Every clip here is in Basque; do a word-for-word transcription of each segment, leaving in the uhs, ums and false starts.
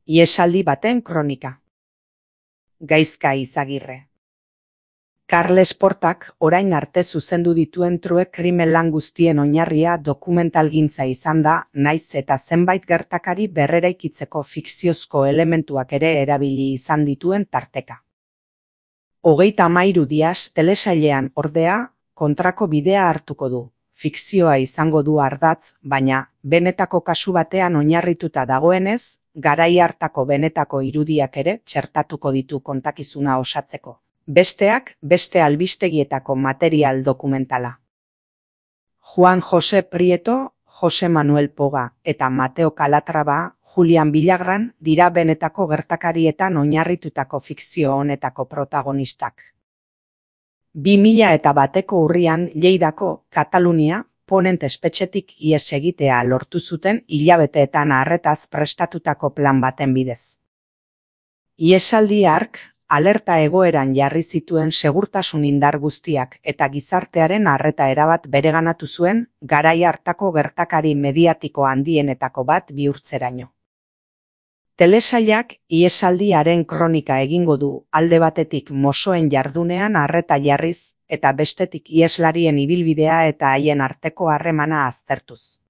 Ihesaldi baten kronika. Gaizka Izagirre. Carles Portak orain arte zuzendu dituen true krimen lan guztien oinarria dokumentalgintza izan da, naiz eta zenbait gertakari berreraikitzeko fikziozko elementuak ere erabili izan dituen tarteka. Hogeita hamairu dias telesailean ordea kontrako bidea hartuko du. Fikzioa izango du ardatz, baina benetako kasu batean oinarrituta dagoenez, garai hartako benetako irudiak ere txertatuko ditu kontakizuna osatzeko. Besteak beste albistegietako material dokumentala. Juan José Prieto, José Manuel Poga eta Mateo Calatrava, Julian Villagran dira benetako gertakarietan oinarritutako fikzio honetako protagonistak. Bi mila eta bateko urrian Lleidako, Katalunia, Ponent espetxetik ihes egitea lortu zuten hilabeteetan arretaz prestatutako plan baten bidez. Ihesaldi hark, alerta egoeran jarri zituen segurtasun indar guztiak eta gizartearen arreta erabat bereganatu zuen garai hartako gertakari mediatiko handienetako bat bihurtzeraino. Telesailak ihesaldiaren kronika egingo du alde batetik mosoen jardunean arreta jarriz eta bestetik iheslarien ibilbidea eta haien arteko harremana aztertuz.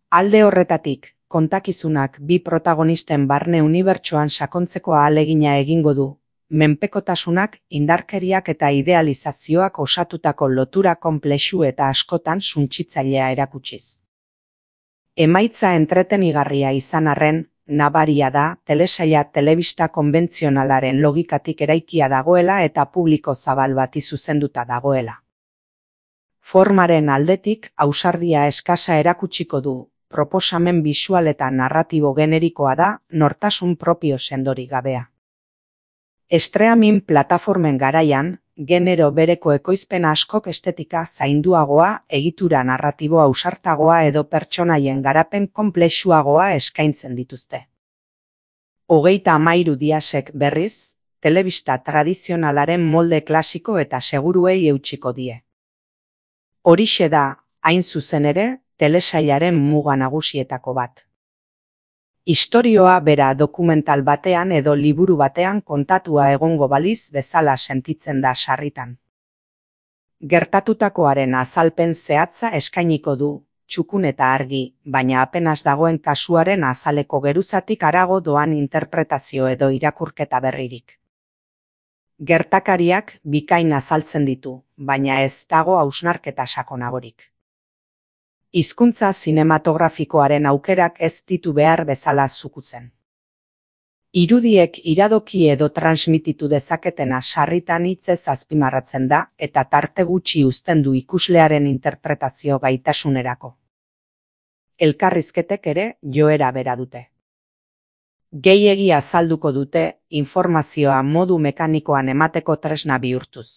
Alde horretatik, kontakizunak bi protagonisten barne unibertsoan sakontzeko ahalegina egingo du, menpekotasunak, indarkeriak eta idealizazioak osatutako lotura konplexu eta askotan suntsitzailea erakutsiz. Emaitza entretenigarria izan arren, nabaria da telesaila telebista konbentzionalaren logikatik eraikia dagoela eta publiko zabal bati zuzenduta dagoela. Formaren aldetik ausardia eskasa erakutsiko du, proposamen bisual eta narratibo generikoa da, nortasun propio sendori gabea. Streaming plataformen garaian, genero bereko ekoizpen askok estetika zainduagoa, egitura narratibo ausartagoa edo pertsonaien garapen konplexuagoa eskaintzen dituzte. Hogeita hamairu diasek berriz, telebista tradizionalaren molde klasiko eta seguruei eutsiko die. Horixe da, hain zuzen ere, telesailaren muga nagusietako bat. Istorioa bera dokumental batean edo liburu batean kontatua egongo baliz bezala sentitzen da sarritan. Gertatutakoaren azalpen zehatza eskainiko du, txukun eta argi, baina apenas dagoen kasuaren azaleko geruzatik harago doan interpretazio edo irakurketa berririk. Gertakariak bikain azaltzen ditu, baina ez dago hausnarketa sakonagorik. Hizkuntza zinematografikoaren aukerak ez ditu behar bezala zukutzen. Irudiek iradoki edo transmititu dezaketena sarritan hitzez azpimarratzen da eta tarte gutxi uzten du ikuslearen interpretazio gaitasunerako. Elkarrizketek ere joera bera dute. Gehiegi azalduko dute informazioa modu mekanikoan emateko tresna bihurtuz.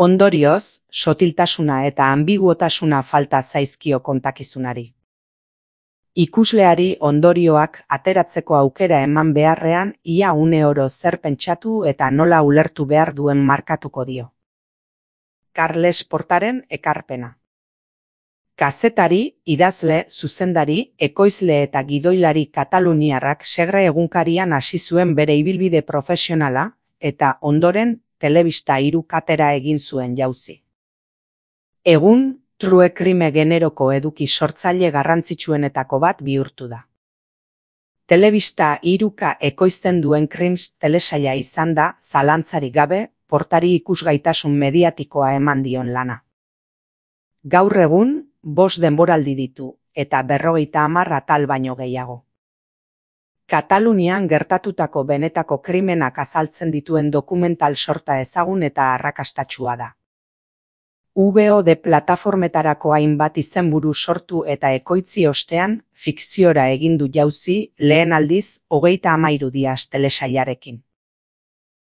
Ondorioz, sotiltasuna eta ambiguotasuna falta zaizkio kontakizunari. Ikusleari ondorioak ateratzeko aukera eman beharrean ia une oro zer pentsatu eta nola ulertu behar duen markatuko dio. Carles Portaren ekarpena. Kazetari, idazle, zuzendari, ekoizle eta gidoilari kataluniarrak Segre egunkarian hasi zuen bere ibilbide profesionala eta ondoren telebista hiru katera egin zuen jauzi. Egun, true krime generoko eduki sortzaile garrantzitsuenetako bat bihurtu da. Telebista hiruka ekoizten duen Crims telesaila izan da, zalantzarik gabe, Portari ikusgaitasun mediatikoa eman dion lana. Gaur egun, bost denboraldi ditu, eta berrogeita hamar atal baino gehiago. Katalunian gertatutako benetako krimenak azaltzen dituen dokumental sorta ezagun eta arrakastatsua da. V O D plataformetarako hainbat izenburu sortu eta ekoitzi ostean, fikziora egin du jauzi lehen aldiz hogeita hamairu dias telesailarekin.